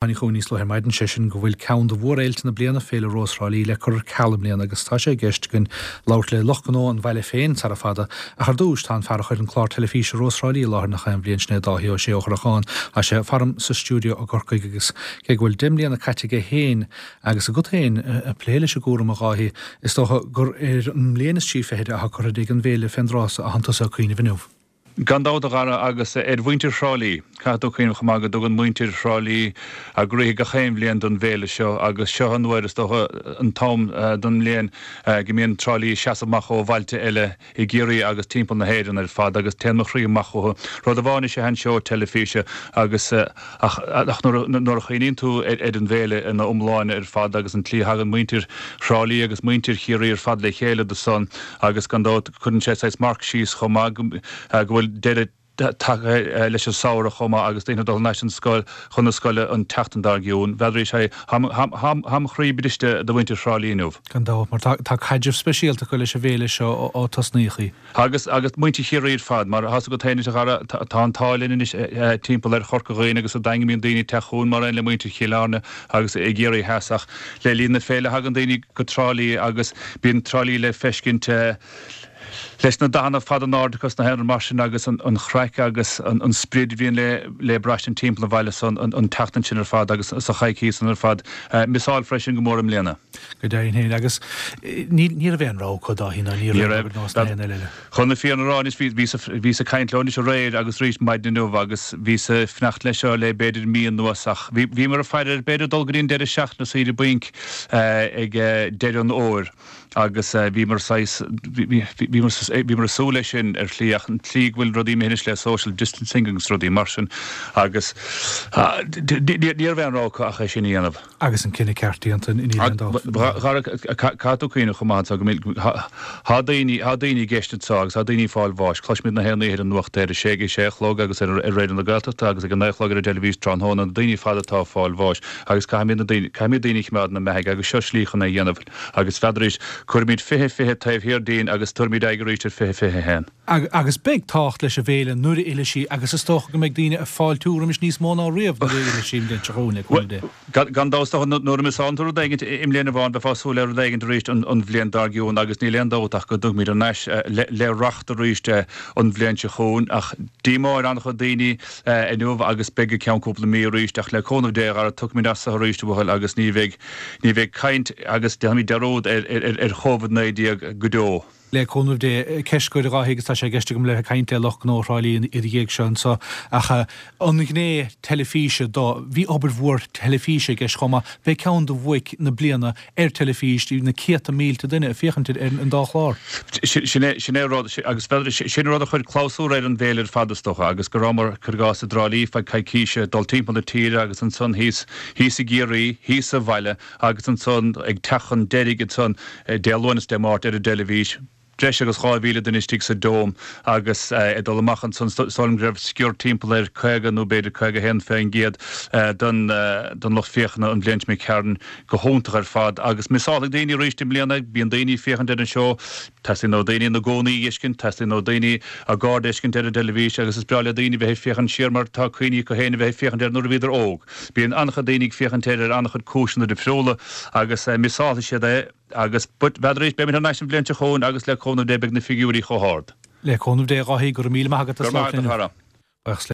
Tháinig chugainn níos luaithe ar maidin, sé sin go bhfuil ceann de mhórfhéilte na bliana, Féile Rós Thrá Lí, le cur ar ceal i mbliana agus tá sé i gceist againn labhairt le lucht gnó an bhaile féin sara fada. Ach ar dtús, tá an fear a chuir an clár teilifíse Rós Thrá Lí i láthair nach aon bhliain, sin é Dáithí Ó Sé ó Chorracháin. Tá sé faram sa stiúideo i gCorcaigh agus cé go bhfuil 10 mbliana caite aige féin agus agat féin ag plé leis an gcúram, a Dháithí, is dócha gur ar an mbliain is trí fichid atá curtha de ag an bhféile fén dtráth so atánn tusa ag cuimhneamh inniu. Gan dabht, a Dhara, agus ar mhuintir Thrá Lí. Caithfidh tú cuimhneamh chomh maith go dtugann muintir Thrá Lí a gcroíthe gach aon bhliain don bhféile seo agus seo an uair, is dócha, an t-am den mbliain go mbíonn Trá Lí ag seasamh amach ó bhailte eile i gCiarraí agus timpeall na hÉireann ar fad agus téann mo chroí amach chucu. Rud amháin is ea an seó teilifíse agus ach nuair a chuimhníonn tú ar an bhféile ina iomláine ar fad agus an tslí a thagann muintir Thrá Lí agus muintir Chiarraí ar fad le chéile do san agus gan dabht cuireann sé saghas marc síos chomh maith go bhfuil deireadh tagtha leis an samhradh chomh maith agus daoine ag dul thar n-ais chun na scoile an tseachtain dár gcionn. N'fheadar sé, tá mo chroí briste do mhuintir Thrá Lí inniu. Gan dabht, mar tá caidreamh speisialta acu leis an bhféile seo ó tosnaíodh í. Agus, agus muintir Chiarraí ar fad, mar tá's agat féin anois a Dhara, tá an t-ádh linn anois timpeall ar Chorca Dhuibhne agus sa Daingean bíonn daoine ag teacht chugainn mar aon le muintir Chill Airne agus i gCiarraí Theas ach le linn na féile thagann daoine go Trá Lí agus bíonn Trá Lí le feiscint leis na dathanna fada in airde acu sna haon rud mar sin agus an chraic agus an sprid a bhíonn le le braistint timpeall an bhaile san an tseachtain sin ar fad agus sa choicís san ar fad. Miseáil freisin go mór i mbliana. Go deimhin féin. Agus ní raibh aon rogha acu, Dáithí, ná ní raibh ar nós na haon eile. Chun na fírinne a rá anois, bhíos ag caint leo anois aréir agus arís maidin inniu agus bhíos ag fanacht leis seo le b'fhéidir mí anuas ach bhíomar ag faire air b'fhéidir dul go dtí an deireadh seachtaine saoire bainc ag deireadh an fhómhair agus bhíomar saghas, bhíomar ag súil leis sin ar shlí ach an tslí go bhfuil rudaí imithe anois le social distancing agus rudaí mar sin agus ní raibh aon rogha acu ach é sin a dhéanamh. Agus an cinneadh ceart déanta, níl aon dabht. Caithfidh tú cuimhneamh chomh maith anseo go mbíonn, tá daoine, tá daoine i gceist anseo agus tá daoine ag fáil bháis. Cloisimid na haon oíche ar an nuacht ar a sé, ag a sé a chlog agus ar Raidió na Gaeltachta agus ag a naoi a chlog ar an dteilifís tráthnóna, na daoine ar fad atá ag fáil bháis agus caithfimid na daoine, caithfimid daoine a choimeád ina mbeathaigh agus seo slí chun é a dhéanamh agus n'fheadar arís, cuirfimid 2020 taobh thiar dínn agus tabharfaimid aghaidh arís ar 2021. Agus beidh tábhacht leis an bhféile nuair a fhillfidh sí agus is dócha go mbeidh daoine ag fáiltiú roimis níos mó ná riamh nuair a fhillfidh sí an bhliain seo chugainn, le cúnamh Dé. Gan dabht, is dócha, nuair a mhiseálann tú rud éigin i mbliain amháin, beifeá ag súil le rud éigin arís an bhliain dár gcionn agus níl aon dabht ach go dtiocfaimid thar n-ais le racht arís an bhliain seo chugainn. Ach díomá ar an-chuid daoine inniu agus beidh go ceann cúpla mí arís ach le cúnamh Dé, a Dhara, tiocfaimid as seo arís, a bhuachaill, agus ní bheidh, ní bheidh caint agus déanfaimid dearúd ar, ar, ar Covid-19 go deo. Le cúnamh Dé, ceist dhuit a Dháithí agus tá sé i gceist agam le bheith ag caint le lucht gnó Thrá Lí ina dhiaidh seo anso, ach an ghné teilifíse do, bhí obair mhór teilifíse i gceist chomh maith, b'é ceann de bhuaic na bliana ar teilifís, bhí na céadta mílte duine ag féachaint ar an dá chlár. Sin é, sin é rud, agus sin rud a chuir clabhsúr ar an bhféile ar fad is dócha, agus go rabhamar, cuir i gcás, i dTrá Lí feadh coicíse, dul timpeall na tíre agus ansan thíos, thíos i gCiarraí, thíos sa bhaile, Agus ansan, ag teacht chun deiridh ansan, Dé Luain is Dé Máirt ar an dteilifís, breis agus 2,000 duine istigh sa Dome agus ag dul amach ansan, is dóigh liom go raibh sciar timpeall ar 50 nó b'fhéidir 51% den den lucht féachana an bhliain seo imigh tharainn. Go hiontach ar fad agus miseálfaidh daoine arís i mbliana, bíonn daoine ag féachaint ar an seó, Teastaíonn ó daoine ina gcónaí a fheiscint, teastaíonn ó daoine a gcairde a fheiscint ar an dteilifís agus is breá le daoine bheith ag féachaint siar mar tá cuimhní acu féin a bheith ag féachaint air nuair a bhíodar óg. Bíonn an-chuid daoine ag féachaint air ar an-chuid cúiseanna difriúla agus miseálfaidh siad é agus but n'fheadar arís, beimid thar n-ais an bhliain seo chugainn agus le cúnamh Dé beidh na figiúirí chomh hard. Le cúnamh Dé, a Dháithí, go raibh míle maith agat as labhairt linn. Go raibh maith agat, a chara. Buíochas.